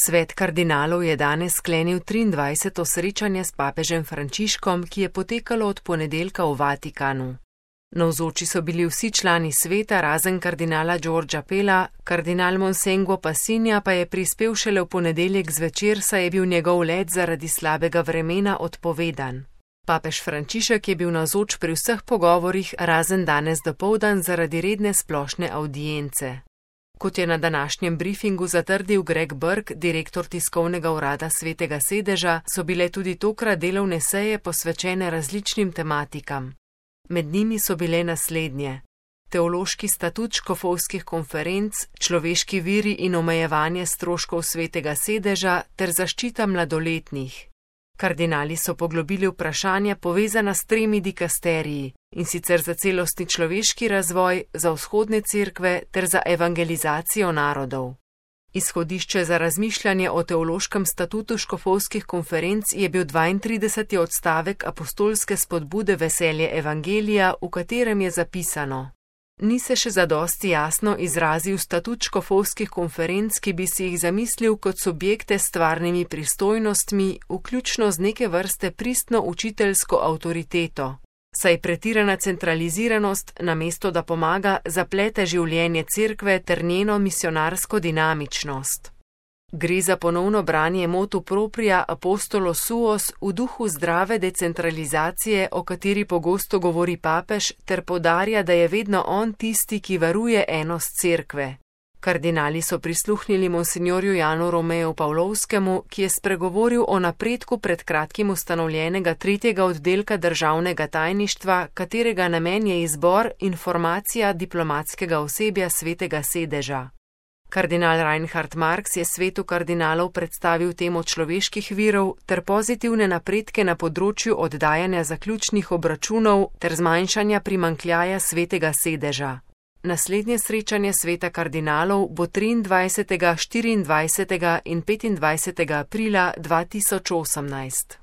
Svet kardinalov je danes sklenil 23. srečanje s papežem Frančiškom, ki je potekalo od ponedeljka v Vatikanu. Navzoči so bili vsi člani sveta, razen kardinala Giorgia Pella, kardinal Monsengo Passinja pa je prispel šele v ponedeljek zvečer, saj je bil njegov let zaradi slabega vremena odpovedan. Papež Frančišek je bil navzoč pri vseh pogovorih, razen danes dopoldan zaradi redne splošne avdience. Kot je na današnjem briefingu zatrdil Greg Burke, direktor tiskovnega urada Svetega sedeža, so bile tudi tokrat delovne seje posvečene različnim tematikam. Med njimi so bile naslednje: teološki statut škofovskih konferenc, človeški viri in omejevanje stroškov Svetega sedeža ter zaščita mladoletnih. Kardinali so poglobili vprašanja povezana s 3 dikasteriji, in sicer za celostni človeški razvoj, za vzhodne cerkve ter za evangelizacijo narodov. Izhodišče za razmišljanje o teološkem statutu škofovskih konferenc je bil 32. odstavek apostolske spodbude Veselje evangelija, v katerem je zapisano: Ni se še zadosti jasno izrazil statut škofovskih konferenc, ki bi si jih zamislil kot subjekte s stvarnimi pristojnostmi, vključno z neke vrste pristno učiteljsko avtoriteto, saj pretirana centraliziranost, namesto da pomaga, zaplete življenje cerkve ter njeno misionarsko dinamičnost. Gre za ponovno branje motu propria apostolo suos v duhu zdrave decentralizacije, o kateri pogosto govori papež, ter poudarja, da je vedno on tisti, ki varuje enost cerkve. Kardinali so prisluhnili monsignorju Janu Romeju Pavlovskemu, ki je spregovoril o napredku pred kratkim ustanovljenega 3. oddelka državnega tajništva, katerega namen je izbor in formacija diplomatskega osebja Svetega sedeža. Kardinal Reinhard Marx je svetu kardinalov predstavil temo človeških virov ter pozitivne napredke na področju oddajanja zaključnih obračunov ter zmanjšanja primanjkljaja Svetega sedeža. Naslednje srečanje sveta kardinalov bo 23., 24. in 25. aprila 2018.